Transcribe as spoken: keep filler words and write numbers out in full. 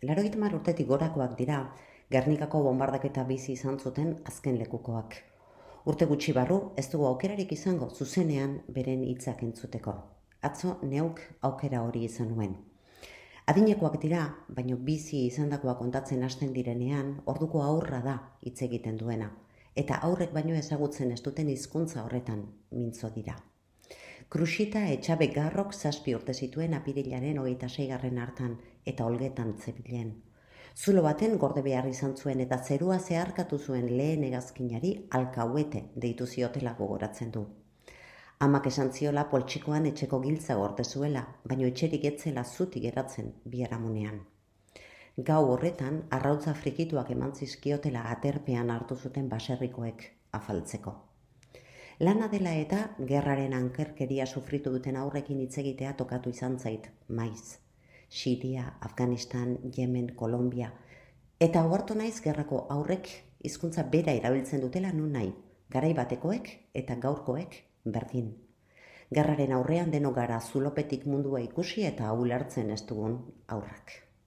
Laurogeita hamar urtetik gorakoak dira, Gernikako bonbardaketa bizi izan zuten azken lekukoak. Urte gutxi barru, ez dugu aukerarik izango zuzenean beren hitzak entzuteko. Atzo neuk aukera hori izan nuen. Adinekoak dira, baino bizi izandakoa kontatzen hasten direnean, orduko aurra da hitz egiten duena, eta aurrek baino ezagutzen ez duten hizkuntza horretan mintzo dira. Krusita Etxabe Garrok zazpi urte zituen apirilaren hogeita seigarren hartan eta olgetan zebilen. Zulo baten gorde behar izan zuen eta zerua zeharkatu zuen lehen hegazkinari alkauete deitu ziotela gogoratzen du. Amak esan ziola poltsikoan etxeko giltza gorte zuela, baino etxerik etzela zutik geratzen biharamunean. Gau horretan, arrautza frikituak eman zizkiotela aterpean hartu zuten baserrikoek afaltzeko. Lana dela eta gerraren ankerkeria sufritu duten aurrekin hitz egitea tokatu izan zait maiz. Siria, Afganistan, Yemen, Kolombia. Eta ohartu naiz gerrako aurrek hizkuntza bera erabiltzen dutela nun nahi, garai batekoek eta gaurkoek berdin. Gerraren aurrean denok gara zulopetik mundua ikusi eta ulertzen ez dugun aurrak.